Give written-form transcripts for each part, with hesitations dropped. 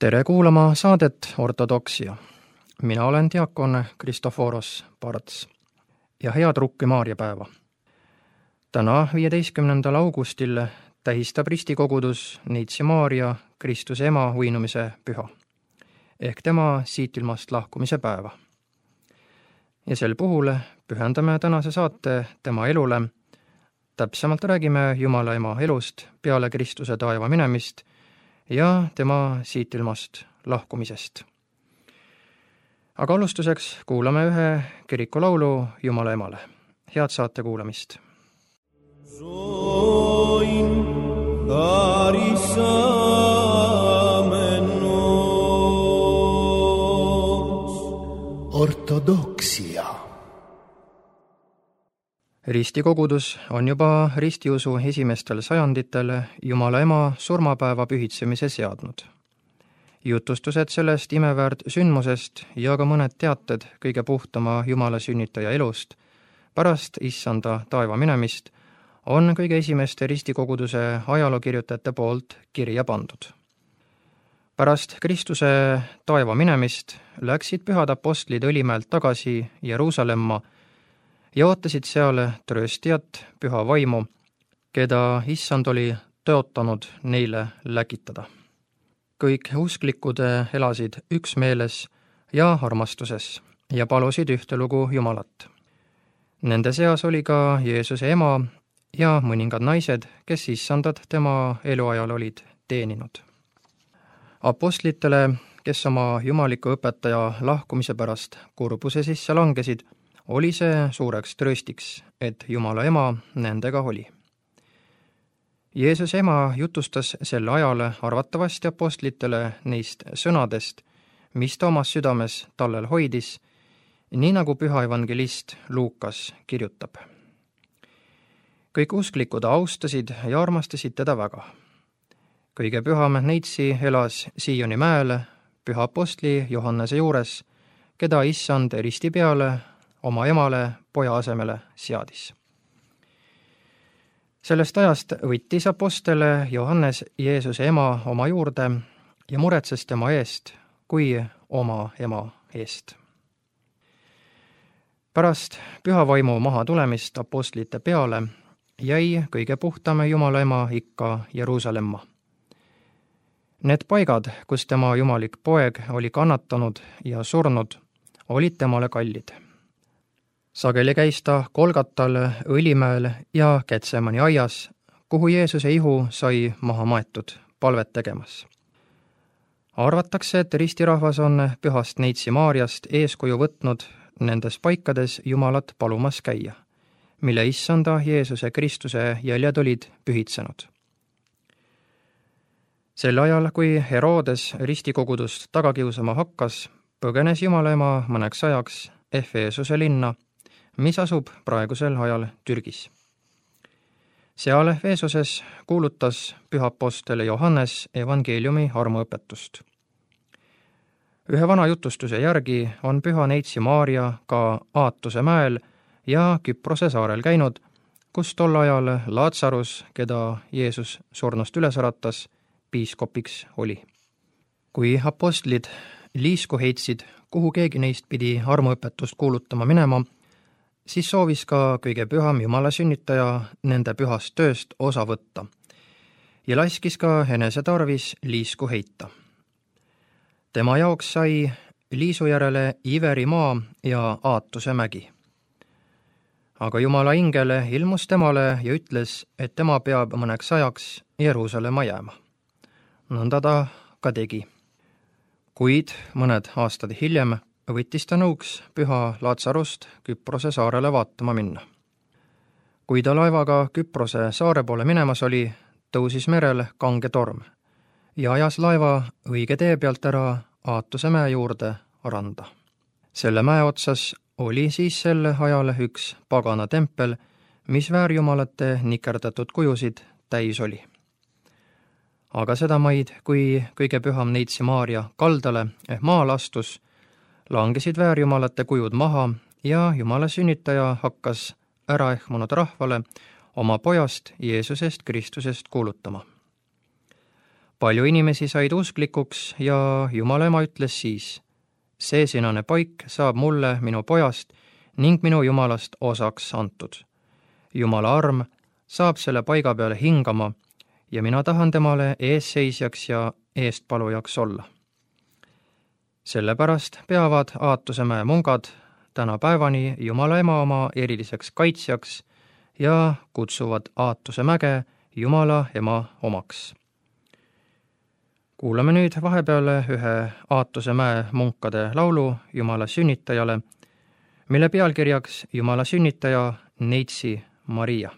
Tere kuulama saadet Ortodoksia. Mina olen diakon Kristoforos Parts ja head Rukki Maarjapäeva. Täna 15. augustil tähistab ristikogudus Neitsi Maarja Kristuse ema uinumise püha ehk tema siit ilmast lahkumise päeva. Ja sel puhul pühendame tänase saate tema elule. Täpsemalt räägime Jumala ema elust peale Kristuse taeva minemist ja tema siit ilmast lahkumisest. Aga alustuseks kuulame ühe kirikulaulu Jumala emale. Head saate kuulamist. Ortodoksia. Ristikogudus on juba ristiusu esimestel sajanditel Jumala ema surmapäeva pühitsemise seadnud. Jutustused sellest imeväärt sündmusest ja ka mõned teated kõige puhtama Jumala sünnitaja elust pärast issanda taeva minemist on kõige esimeste ristikoguduse ajalookirjutajate poolt kirja pandud. Pärast Kristuse taeva minemist läksid pühad apostlid Õlimäelt tagasi Jeruusalemma ja ootasid seal trööstijat, püha vaimu, keda issand oli tõotanud neile läkitada. Kõik usklikud elasid üksmeeles ja armastuses ja palusid ühtelugu Jumalat. Nende seas oli ka Jeesuse ema ja mõningad naised, kes issandat tema eluajal olid teeninud. Apostlitele, kes oma jumaliku õpetaja lahkumise pärast kurbuse sisse langesid, oli see suureks trööstiks, et Jumala ema nendega oli. Jeesuse ema jutustas sel ajal arvatavasti apostlitele neist sõnadest, mis ta omas südames tallel hoidis, nii nagu püha evangelist Luukas kirjutab. Kõik usklikud austasid ja armastasid teda väga. Kõige püham Neitsi elas Sioni mäel püha apostli Johannese juures, keda issand risti peale oma emale poja asemele seadis. Sellest ajast võttis apostel Johannes Jeesuse ema oma juurde ja muretses tema eest kui oma ema eest. Pärast püha vaimu maha tulemist apostlite peale jäi kõige puhtam Jumala ema ikka Jeruusalemma. Need paigad, kus tema jumalik poeg oli kannatanud ja surnud, olid temale kallid. Sageli käis ta Golgatal, Õlimäel ja Getsemani aias, kuhu Jeesuse ihu sai maha maetud palvet tegemas. Arvatakse, et ristirahvas on pühast Neitsi Maarjast eeskuju võtnud nendes paikades Jumalat palumas käia, mille issanda Jeesuse Kristuse jäljed olid pühitsenud. Sel ajal, kui Herodes ristikogudust tagakiusama hakkas, põgenes Jumala ema mõneks ajaks Efesuse linna, mis asub praegusel ajal Türgis. Seal Efesuses kuulutas püha apostel Johannes evangeeliumi armuõpetust. Ühe vana jutustuse järgi on püha Neitsi Maarja ka Aatuse mäel ja Küprose saarel käinud, kus tol ajal Laatsarus, keda Jeesus surnust üles äratas, piiskopiks oli. Kui apostlid liisku heitsid, kuhu keegi neist pidi armuõpetust kuulutama minema, siis soovis ka kõige püham Jumala sünnitaja nende pühast tööst osa võtta ja laskis ka enese tarvis liisku heita. Tema jaoks sai liisu järele Iveri maa ja Aatuse mägi. Aga Jumala ingel ilmus temale ja ütles, et tema peab mõneks ajaks Jeruusalemma jääma. Nõnda ta ka tegi. Kuid mõned aastad hiljem võttis ta nõuks püha Laatsarust Küprose saarele vaatama minna. Kui ta laevaga Küprose saare poole minemas oli, tõusis merel kange torm ja ajas laeva õige tee pealt ära Aatuse mäe juurde randa. Selle mäe otsas oli siis sel ajal üks pagana tempel, mis väärjumalate nikerdatud kujusid täis oli. Aga seda maid, kui kõige püham Neitsi Maarja kaldale maale astus, langesid väärjumalate kujud maha ja Jumala sünnitaja hakkas äraehmunud rahvale oma pojast Jeesusest Kristusest kuulutama. Palju inimesi said usklikuks ja Jumala ema ütles siis: see sinane paik saab mulle minu pojast ning minu Jumalast osaks antud. Jumala arm saab selle paiga peale hingama ja mina tahan temale eesseisjaks ja eestpalujaks olla. Sellepärast peavad Aatusemäe mungad tänapäevani Jumala ema oma eriliseks kaitsjaks ja kutsuvad Aatusemäge Jumala ema omaks. Kuulame nüüd vahepeal ühe Aatusemäe munkade laulu Jumala sünnitajale, mille pealkirjaks Jumala sünnitaja Neitsi Maria.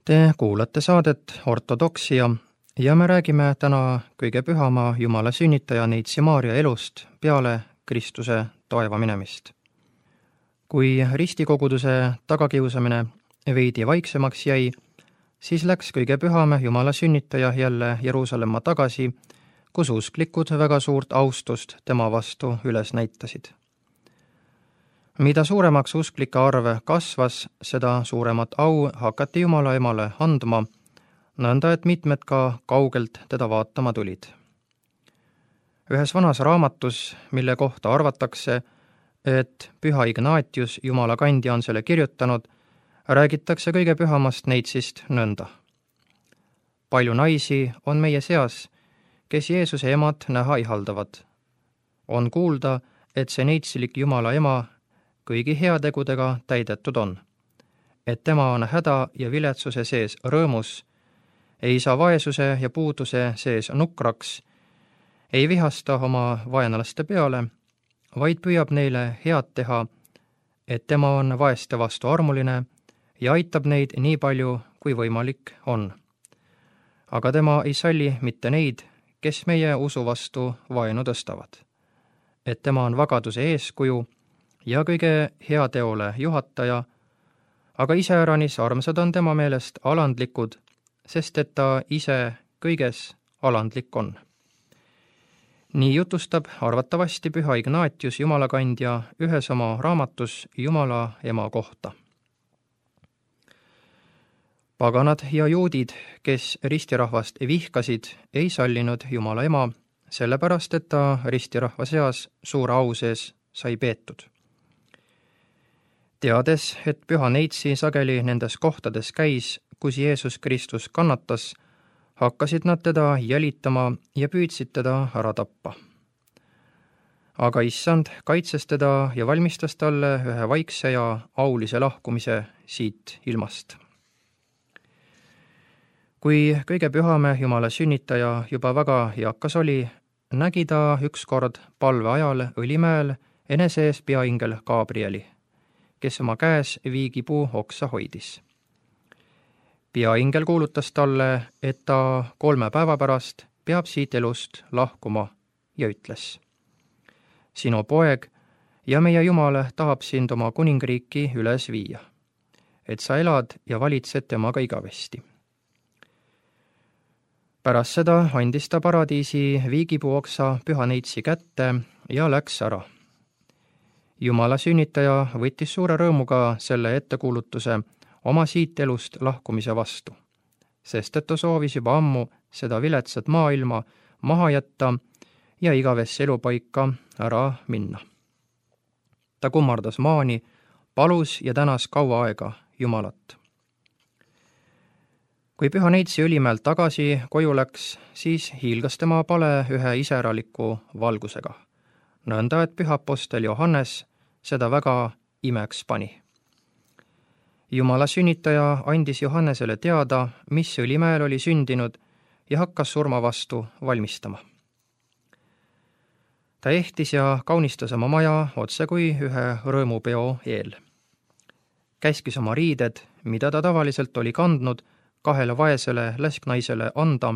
Te kuulate saadet Ortodoksia ja me räägime täna kõige pühama Jumala sünnitaja Neitsi Maarja elust peale Kristuse taeva minemist. Kui ristikoguduse tagakiusamine veidi vaiksemaks jäi, siis läks kõige püham Jumala sünnitaja jälle Jeruusalemma tagasi, kus usklikud väga suurt austust tema vastu üles näitasid. Mida suuremaks usklike arv kasvas, seda suuremat au hakati Jumala emale andma, nõnda et mitmed ka kaugelt teda vaatama tulid. Ühes vanas raamatus, mille kohta arvatakse, et püha Ignatius, Jumala kandja, on selle kirjutanud, räägitakse kõige pühamast Neitsist nõnda. Palju naisi on meie seas, kes Jeesuse emad näha ihaldavad. On kuulda, et see neitsilik Jumala ema kõigi heategudega täidetud on, et tema on häda ja viletsuse sees rõõmus, ei saa vaesuse ja puuduse sees nukraks, ei vihasta oma vaenlaste peale, vaid püüab neile head teha, et tema on vaeste vastu armuline ja aitab neid nii palju, kui võimalik on. Aga tema ei salli mitte neid, kes meie usu vastu vaenu tõstavad. Et tema on vagaduse eeskuju ja kõige heateole juhataja, aga iseäranis armsad on tema meelest alandlikud, sest et ta ise kõiges alandlik on. Nii jutustab arvatavasti püha Ignatius Jumala kandja ühes oma raamatus Jumala ema kohta. Paganad ja juudid, kes ristirahvast vihkasid, ei sallinud Jumala ema, sellepärast et ta ristirahva seas suure au sees sai peetud. Teades, et püha Neitsi sageli nendes kohtades käis, kus Jeesus Kristus kannatas, hakkasid nad teda jälitama ja püüdsid teda ära tappa. Aga issand kaitses teda ja valmistas talle ühe vaikse ja aulise lahkumise siit ilmast. Kui kõige pühame Jumala sünnitaja juba väga eakas oli, nägi ta ükskord palve ajal Õlimäel enese ees peaingel Gabrieli, kes oma käes viigipuu oksa hoidis. Peaingel kuulutas talle, et ta 3 päeva pärast peab siit elust lahkuma ja ütles: Sinu poeg ja meie Jumal tahab sind oma kuningriiki üles viia, et sa elad ja valitsed temaga igavesti. Pärast seda andis ta paradiisi viigipuu oksa püha Neitsi kätte ja läks ära. Jumala sünnitaja võttis suure rõõmuga selle ettekuulutuse oma siit elust lahkumise vastu, sest et ta soovis juba ammu seda viletsat maailma maha jätta ja igavesse elupaika ära minna. Ta kummardas maani, palus ja tänas kaua aega Jumalat. Kui püha Neitsi Õlimäelt tagasi koju läks, siis hiilgas tema pale ühe iseäraliku valgusega, nõnda et püha apostel Johannes seda väga imeks pani. Jumala sünnitaja andis Johannesele teada, mis Õlimäel oli sündinud ja hakkas surma vastu valmistama. Ta ehtis ja kaunistas oma maja otse kui ühe rõõmupeo eel. Käskis oma riided, mida ta tavaliselt oli kandnud, 2 vaesele läsknaisele anda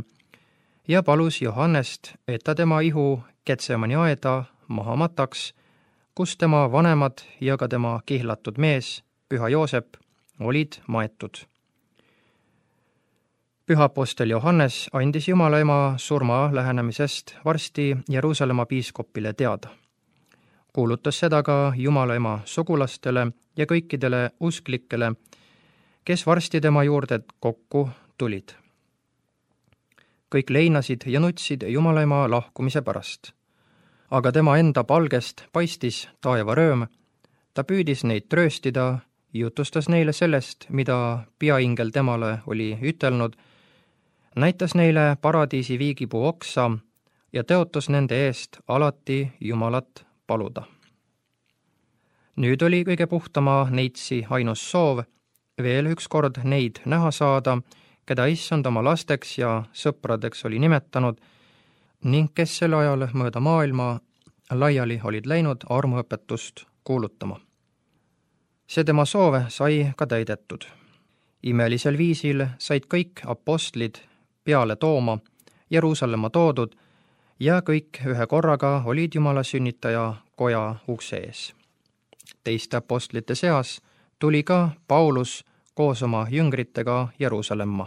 ja palus Johannest, et ta tema ihu Getsemani aeda maha mataks, kus tema vanemad ja ka tema kihlatud mees, püha Joosep, olid maetud. Püha apostel Johannes andis Jumala ema surma lähenemisest varsti Jeruusalemma piiskopile teada. Kuulutas seda ka Jumala ema sugulastele ja kõikidele usklikele, kes varsti tema juurde kokku tulid. Kõik leinasid ja nutsid Jumala ema lahkumise pärast. Aga tema enda palgest paistis taevarööm, ta püüdis neid trööstida, jutustas neile sellest, mida peaingel temale oli ütelnud, näitas neile paradiisi viigipuu oksa ja tõotas nende eest alati Jumalat paluda. Nüüd oli kõige puhtama Neitsi ainus soov veel ükskord neid näha saada, keda issand oma lasteks ja sõpradeks oli nimetanud ning kes sel ajal mööda maailma laiali olid läinud armuõpetust kuulutama. See tema soov sai ka täidetud. Imelisel viisil said kõik apostlid peale tooma Jeruusalemma toodud ja kõik ühe korraga olid Jumala sünnitaja koja ukse ees. Teiste apostlite seas tuli ka Paulus koos oma jüngritega Jeruusalemma.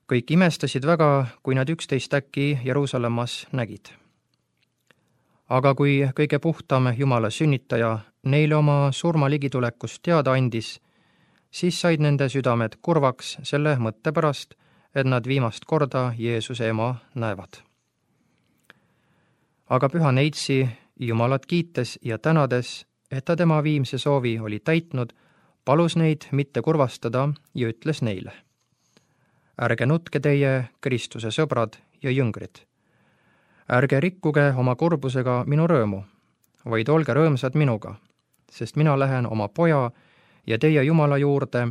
Kõik imestasid väga, kui nad 11 äkki Jeruusalemmas nägid. Aga kui kõige puhtam Jumala sünnitaja neile oma surma ligitulekust teada andis, siis said nende südamed kurvaks selle mõtte pärast, et nad viimast korda Jeesuse ema näevad. Aga püha neitsi Jumalat kiites ja tänades, et ta tema viimse soovi oli täitnud, palus neid mitte kurvastada ja ütles neile: ärge nutke teie, Kristuse sõbrad ja jüngrid. Ärge rikkuge oma kurbusega minu rõõmu, vaid olge rõõmsad minuga, sest mina lähen oma poja ja teie Jumala juurde,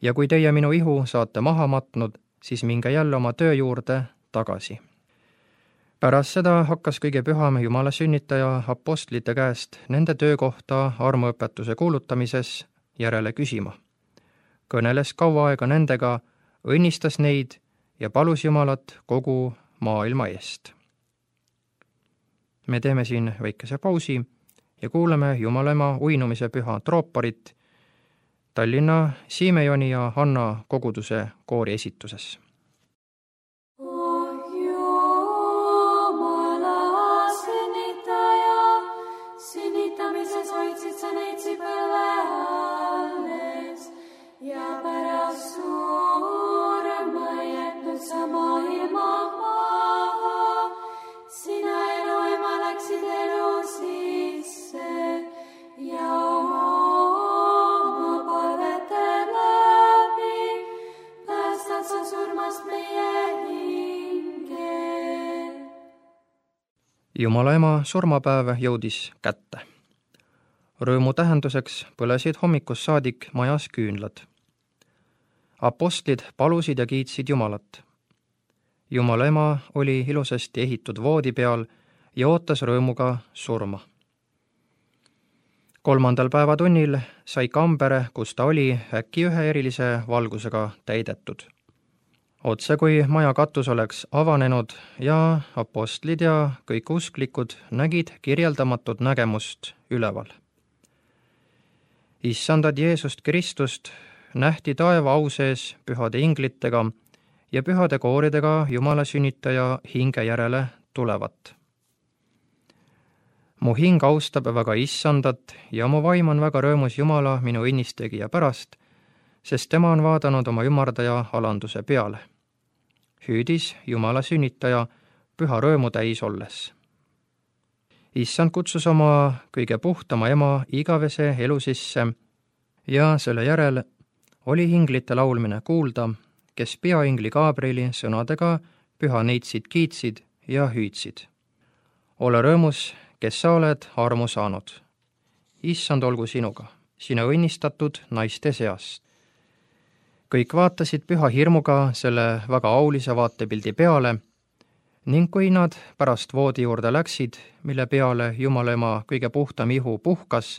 ja kui teie minu ihu saate maha matnud, siis minge jälle oma töö juurde tagasi. Pärast seda hakkas kõige püham Jumala sünnitaja apostlite käest nende töökohta armuõpetuse kuulutamises järele küsima. Kõneles kaua aega nendega, õnnistas neid ja palus Jumalat kogu maailma eest. Me teeme siin väikese pausi ja kuuleme Jumala ema uinumise püha trooparit Tallinna Siimejoni ja Hanna koguduse koori esituses. Sünnitamises hoidsid sa neitsi põlve alles ja pärast surma jätnud sa maailma maha. Sina elu ema läksid elu sisse ja oma palvete läbi päästad sa surmast meie hinge. Jumala ema surmapäev jõudis kätte. Rõõmu tähenduseks põlesid hommikust saadik majas küünlad. Apostlid palusid ja kiitsid Jumalat. Jumala ema oli ilusasti ehitud voodi peal ja ootas rõõmuga surma. 3. päevatunnil sai kamber, kus ta oli, äkki ühe erilise valgusega täidetud. Otse kui maja katus oleks avanenud ja apostlid ja kõik usklikud nägid kirjeldamatut nägemust üleval. Issandad Jeesust Kristust nähti taeva au sees pühade inglitega ja pühade kooridega Jumala sünnitaja hinge järele tulevat. Mu hing austab väga Issandat ja mu vaim on väga rõõmus Jumala minu õnnistegija pärast, sest tema on vaadanud oma ümardaja alanduse peale. Hüüdis Jumala sünnitaja püha rõõmu täis olles. Issand kutsus oma kõige puhtama ema igavese elu sisse ja selle järel oli inglite laulmine kuulda, kes peaingli Gabrieli sõnadega püha neitsid kiitsid ja hüüdsid. Ole rõõmus, kes sa oled armu saanud. Issand olgu sinuga, sina õnnistatud naiste seast. Kõik vaatasid püha hirmuga selle väga aulise vaatepildi peale ning kui nad pärast voodi juurde läksid, mille peale Jumala ema kõige puhtam ihu puhkas,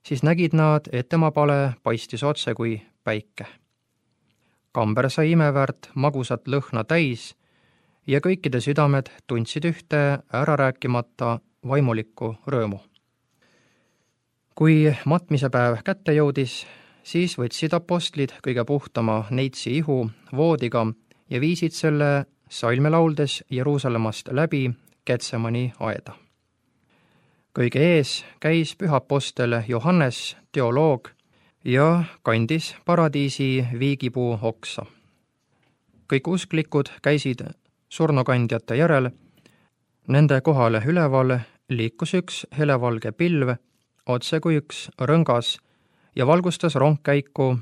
siis nägid nad, et tema pale paistis otse kui päike. Kamber sai imeväärt magusat lõhna täis ja kõikide südamed tundsid ühte ära rääkimata vaimulikku rõõmu. Kui matmise päev kätte jõudis, siis võtsid apostlid kõige puhtama neitsi ihu voodiga ja viisid selle salme lauldes Jeruusalemmast läbi Getsemani aeda. Kõige ees käis püha apostel Johannes, teoloog, ja kandis paradiisi viigipuu oksa. Kõik usklikud käisid surnukandjate järel, nende kohale üleval liikus üks helevalge pilv, otse kui üks rõngas, ja valgustas rongkäiku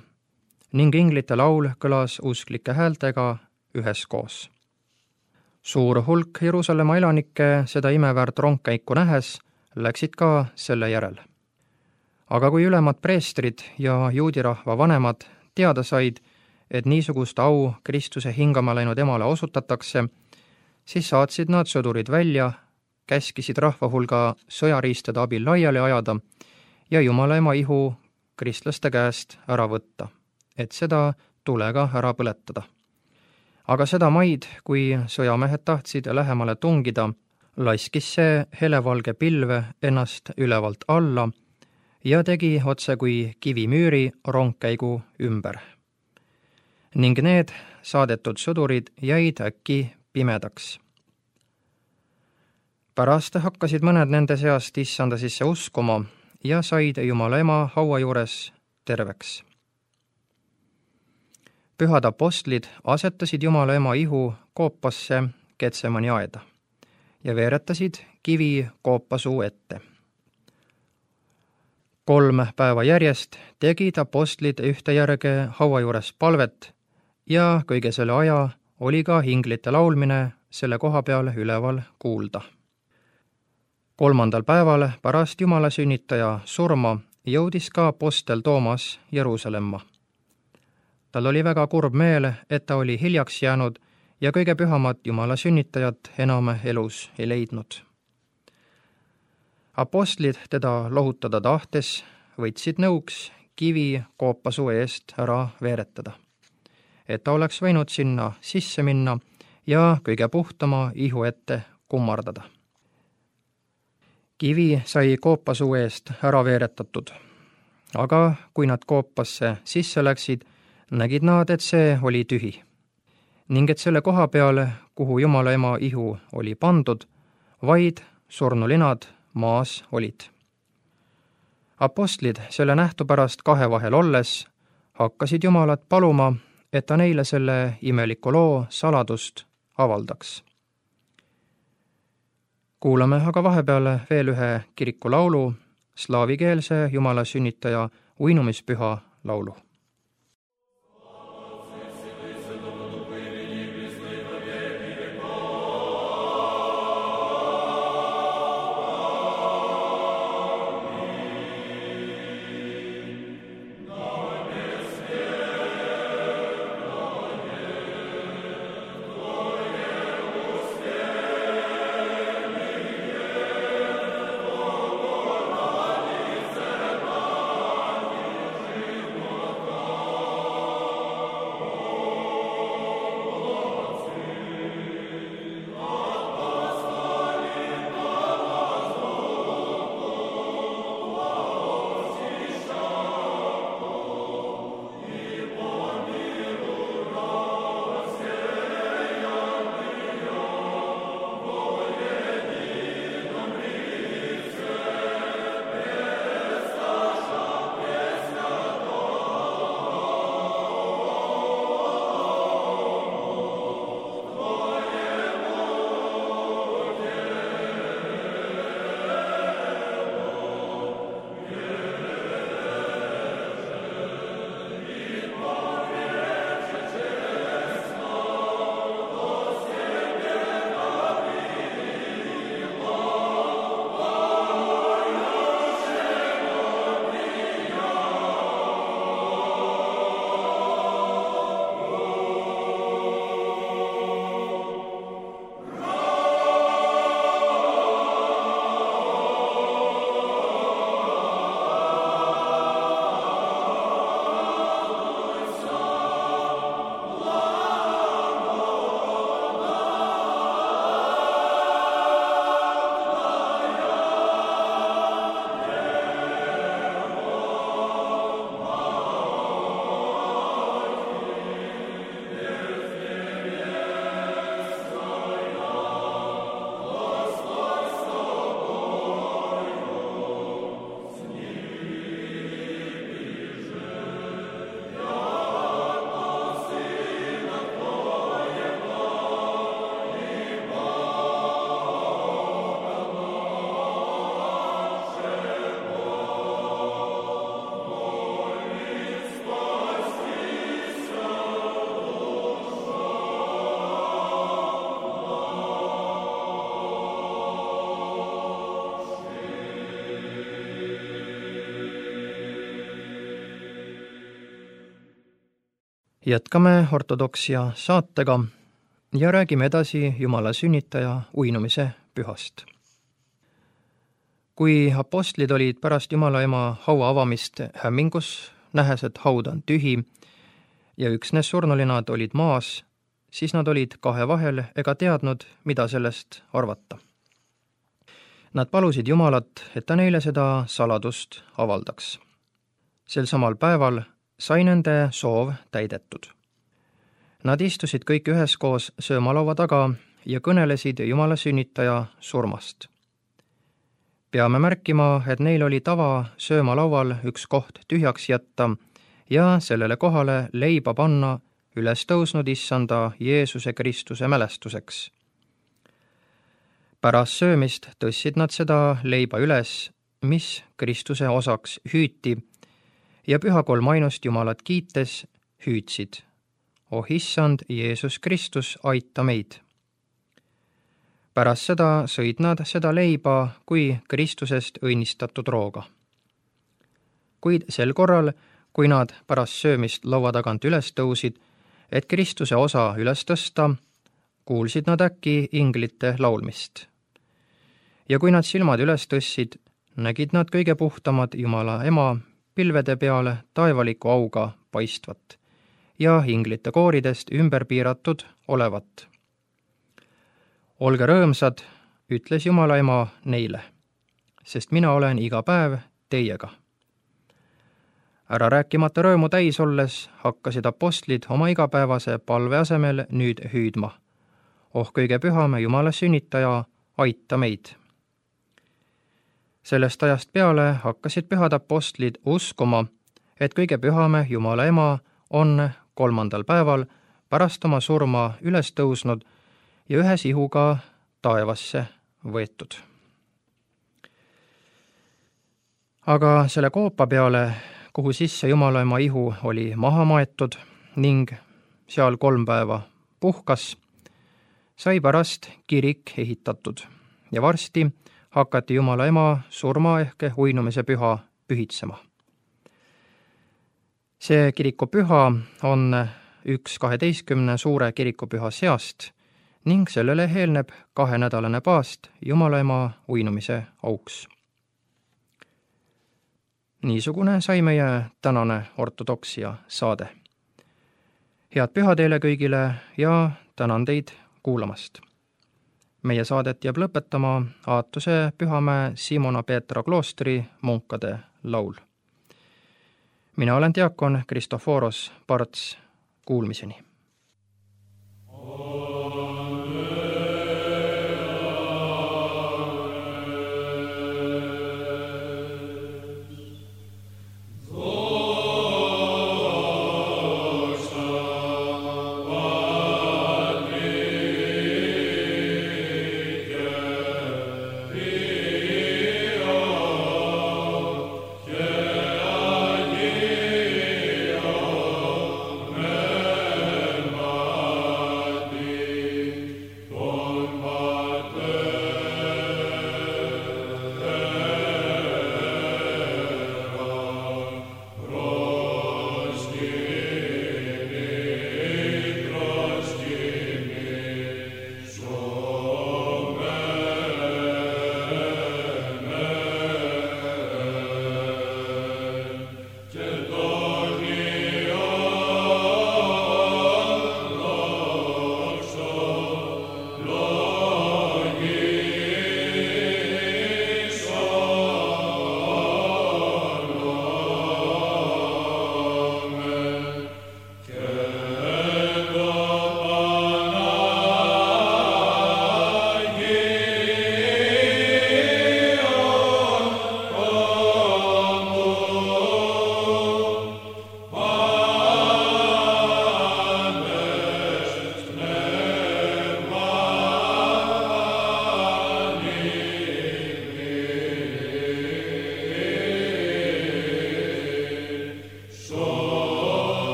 ning inglite laul kõlas usklike häältega üheskoos. Suur hulk Jeruusalemma elanikke seda imeväärt rongkäiku nähes läksid ka selle järel. Aga kui ülemad preestrid ja juudirahva vanemad teada said, et niisugust au Kristuse hingama läinud emale osutatakse, siis saatsid nad sõdurid välja, käskisid rahva hulga sõjariistade abil laiali ajada ja Jumala ema ihu kristlaste käest ära võtta, et seda tulega ära põletada. Aga seda maid, kui sõjamehed tahtsid lähemale tungida, laskis see helevalge pilve ennast ülevalt alla ja tegi otse kui kivimüüri rongkäigu ümber. Ning need saadetud sõdurid jäid äkki pimedaks. Pärast hakkasid mõned nende seast issanda sisse uskuma ja said Jumala ema haua juures terveks. Pühad apostlid asetasid Jumala ema ihu koopasse Getsemani aeda ja veeretasid kivi koopasuu ette. 3 päeva järjest tegid apostlid ühtejärge haua juures palvet ja kõige selle aja oli ka hinglite laulmine selle koha peal üleval kuulda. 3. päeval pärast Jumala sünnitaja surma jõudis ka apostel Toomas Jeruusalemma. Tal oli väga kurb meel, et ta oli hiljaks jäänud ja kõige pühamat Jumala sünnitajat enam elus ei leidnud. Apostlid teda lohutada tahtes võtsid nõuks kivi koopasuu eest ära veeretada, et ta oleks võinud sinna sisse minna ja kõige puhtama ihu ette kummardada. Kivi sai koopasuu eest ära veeretatud, aga kui nad koopasse sisse läksid, nägid nad, et see oli tühi ning et selle koha peal, kuhu Jumala ema ihu oli pandud, vaid surnulinad maas olid. Apostlid selle nähtu pärast kahe vahel olles hakkasid Jumalat paluma, et ta neile selle imeliku loo saladust avaldaks. Kuulame aga vahepeal veel ühe kirikulaulu, slaavikeelse Jumala sünnitaja uinumispüha laulu. Jätkame ortodoksia saatega ja räägime edasi Jumala sünnitaja uinumise pühast. kui apostlid olid pärast Jumala ema haua avamist hämmingus, nähes, et haud on tühi ja üksnes surnulinad olid maas, siis nad olid kahe vahel ega teadnud, mida sellest arvata. Nad palusid Jumalat, et ta neile seda saladust avaldaks. Sel samal päeval sai nende soov täidetud. Nad istusid kõik üheskoos söömalaua taga ja kõnelesid Jumala sünnitaja surmast. Peame märkima, et neil oli tava söömalaual üks koht tühjaks jätta ja sellele kohale leiba panna üles tõusnud issanda Jeesuse Kristuse mälestuseks. Pärast söömist tõstsid nad seda leiba üles, mis Kristuse osaks hüüti, ja püha kolmainust Jumalat kiites hüüdsid: "Oh issand Jeesus Kristus, aita meid!" Pärast seda sõid nad seda leiba kui Kristusest õnnistatud rooga. Kuid sel korral, kui nad pärast söömist laua tagant üles tõusid, et Kristuse osa üles tõsta, kuulsid nad äkki inglite laulmist. Ja kui nad silmad üles tõstsid, nägid nad kõige puhtamad Jumala ema pilvede peale taevaliku auga paistvat ja inglite kooridest ümber piiratud olevat. "Olge rõõmsad," ütles Jumala ema neile, "sest mina olen iga päev teiega." Ära rääkimata rõõmu täis olles hakkasid apostlid oma igapäevase palve asemel nüüd hüüdma: "Oh kõige püham Jumala sünnitaja, aita meid!" Sellest ajast peale hakkasid pühad apostlid uskuma, et kõige püham Jumala ema on 3. päeval pärast oma surma üles tõusnud ja ühe sihuga taevasse võetud. Aga selle koopa peale, kuhu sisse Jumala ema ihu oli maha maetud ning seal 3 päeva puhkas, sai pärast kirik ehitatud ja varsti hakati Jumala ema surma ehk uinumise püha pühitsema. See kirikupüha on üks 12 suure kirikupüha seast ning sellele eelneb 2-nädalane paast Jumala ema uinumise auks. Niisugune sai meie tänane ortodoksia saade. Head püha teile kõigile ja tänan teid kuulamast. Meie saadet jääb lõpetama Aatuse Pühamäe Simona Peetra kloostri munkade laul. Mina olen diakon Kristoforos Parts, kuulmiseni!